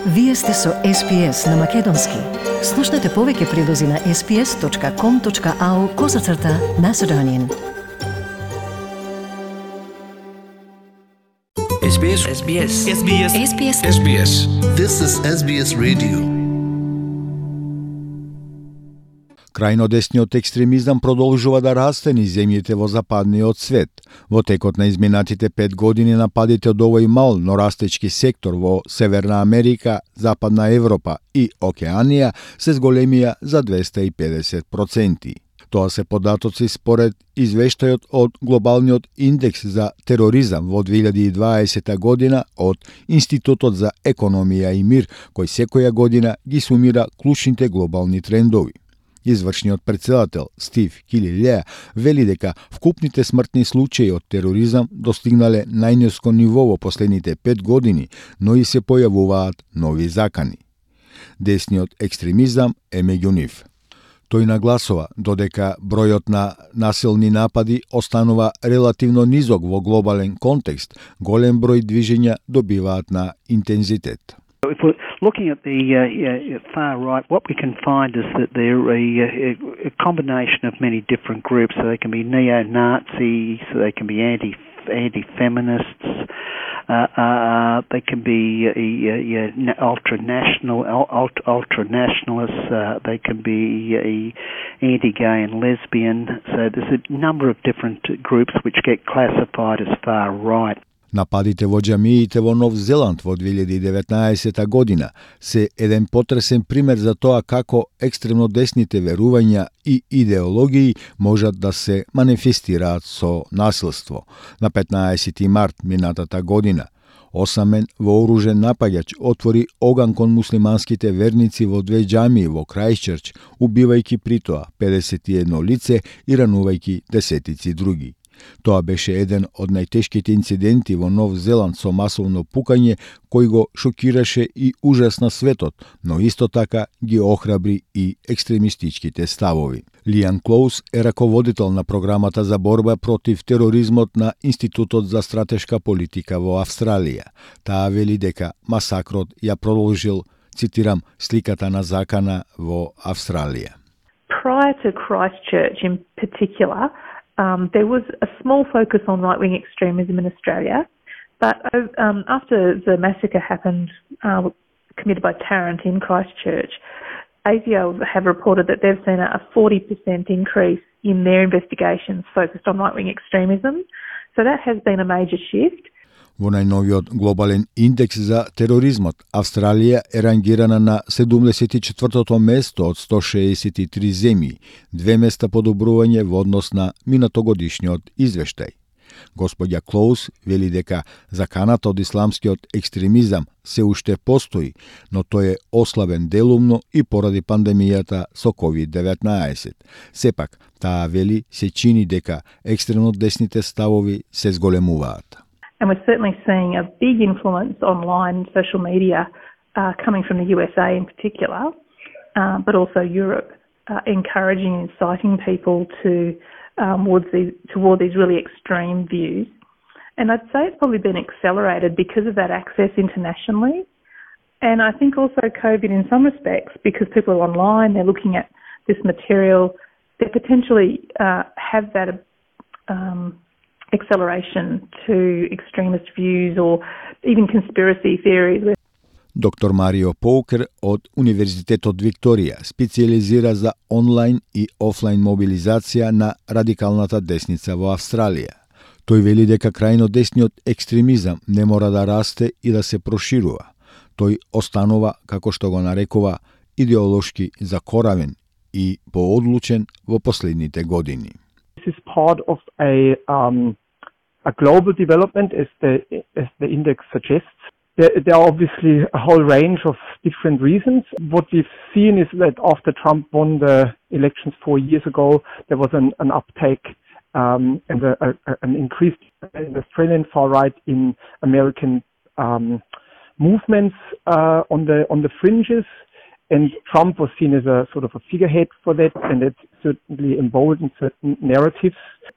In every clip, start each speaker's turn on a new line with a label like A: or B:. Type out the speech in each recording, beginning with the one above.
A: Вие сте со SPS на Македонски. Слушнете повеќе прилози на sps.com.au/Macedonian.
B: SBS.
C: SBS.
B: SBS.
C: SBS.
B: SBS.
D: This is SBS Radio.
E: Крајнодесниот екстремизам продолжува да расте низ земјите во западниот свет. Во текот на изминатите 5 години нападите од овој мал, но растечки сектор во Северна Америка, Западна Европа и Океанија се зголемија за 250%. Тоа се податоци според извештајот од Глобалниот индекс за тероризам во 2020 година од Институтот за економија и мир, кој секоја година ги сумира клучните глобални трендови. Извршниот председател Стив Килилеа вели дека вкупните смртни случаи од тероризам достигнале најниско ниво во последните 5 години, но и се појавуваат нови закани. Десниот екстремизам е меѓу нив. Тој нагласува додека бројот на насилни напади останува релативно низок во глобален контекст, голем број движења добиваат на интензитет.
F: If we're looking at the far right, what we can find is that they're a combination of many different groups. So they can be neo-Nazis, so they can be anti-feminists, they can be ultra-nationalists, they can be anti-gay and lesbian. So there's a number of different groups which get classified as far right.
E: Нападите во џамиите во Нов Зеланд во 2019 година се еден потресен пример за тоа како екстремно десните верувања и идеологии можат да се манифестираат со насилство. На 15 март минатата година, осамен вооружен напаѓач отвори оган кон муслиманските верници во 2 џамии во Крајстчерч, убивајќи притоа 51 лице и ранувајќи десетици други. Тоа беше еден од најтешките инциденти во Нов Зеланд со масовно пукање кој го шокираше и ужасна светот, но исто така ги охрабри и екстремистичките ставови. Лиан Клоус е раководител на програмата за борба против тероризмот на Институтот за стратешка политика во Австралија. Таа вели дека масакрот ја продолжил, цитирам, сликата на закана во Австралија.
G: Prior to Christchurch in particular, there was a small focus on right-wing extremism in Australia, but after the massacre happened, committed by Tarrant in Christchurch, ASIO have reported that they've seen a 40% increase in their investigations focused on right-wing extremism. So that has been a major shift.
E: Во најновиот глобален индекс за тероризмот, Австралија е рангирана на 74-то место од 163 земји, 2 места подобрување во однос на минатогодишниот извештај. Господја Клоус вели дека заканата од исламскиот екстремизам се уште постои, но тој е ослабен делумно и поради пандемијата со COVID-19. Сепак, таа вели се чини дека екстремно десните ставови се зголемуваат.
G: And we're certainly seeing a big influence online, social media, coming from the USA in particular, but also Europe, encouraging and inciting people toward these really extreme views. And I'd say it's probably been accelerated because of that access internationally. And I think also COVID in some respects, because people are online, they're looking at this material, they potentially have that acceleration to extremist views or even conspiracy theories.
E: Доктор Марио Поукер од Универзитетот Викторија специализира за онлайн и офлайн мобилизација на радикалната десница во Австралија. Тој вели дека крајно десниот екстремизам не мора да расте и да се проширува. Тој останува, како што го нарекува, идеолошки закоравен и поодлучен во последните години.
H: This is part of a global development, as the index suggests. There are obviously a whole range of different reasons. What we've seen is that after Trump won the elections 4 years ago, there was an uptake and an increase in the Australian far right, in American movements on the fringes. And Trump was seen as a sort of a figurehead for that, and it certainly emboldened certain narratives.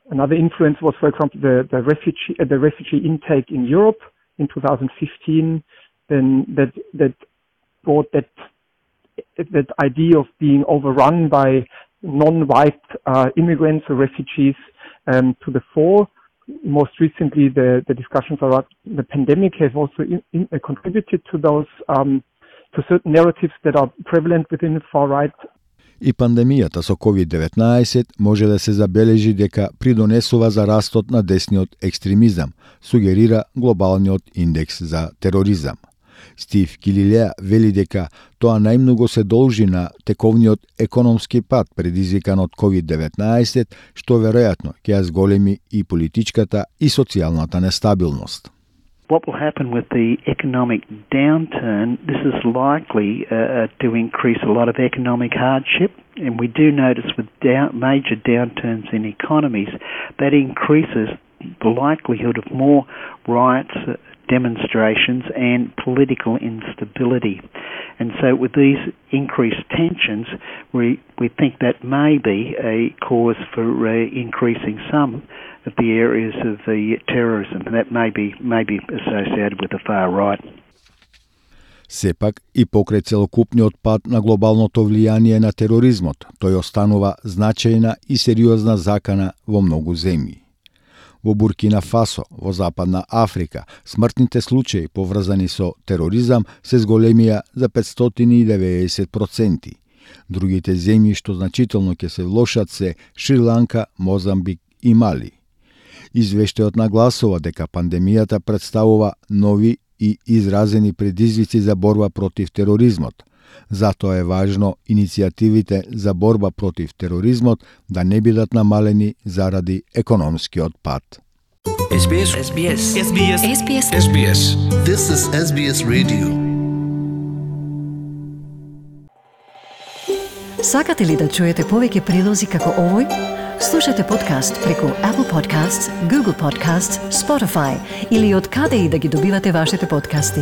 H: Another influence was, for example, the refugee intake in Europe in 2015. Then that brought that idea of being overrun by non-white immigrants or refugees to the fore. Most recently, the discussions around the pandemic have also contributed to those to certain narratives that are prevalent within the far right.
E: И пандемијата со COVID-19 може да се забележи дека придонесува за растот на десниот екстремизам, сугерира глобалниот индекс за тероризам. Стив Килилеа вели дека тоа најмногу се должи на тековниот економски пат предизвикан од COVID-19, што веројатно ќе ја зголеми и политичката и социјалната нестабилност.
F: What will happen with the economic downturn, this is likely to increase a lot of economic hardship, and we do notice with major downturns in economies, that increases the likelihood of more riots, demonstrations and political instability. And so with these increased tensions, we think that may be a cause for increasing some of the areas of the terrorism, and that may be associated with the far right.
E: Сепак и покрај целокупниот пат на глобалното влијание на тероризмот, тој останува значајна и сериозна закана во многу земји. Во Буркина Фасо, во Западна Африка, смртните случаи поврзани со тероризам се зголемија за 590%. Другите земји што значително ќе се влошат се Шри-Ланка, Мозамбик и Мали. Извештајот нагласува дека пандемијата представува нови и изразени предизвици за борба против тероризмот. Затоа е важно иницијативите за борба против тероризмот да не бидат намалени заради економскиот пат.
D: SBS. This is SBS Radio.
A: Сакате ли да чуете повеќе прилози како овој? Слушате подкаст преку Apple Podcasts, Google Podcasts, Spotify или од каде и да ги добивате вашите подкасти.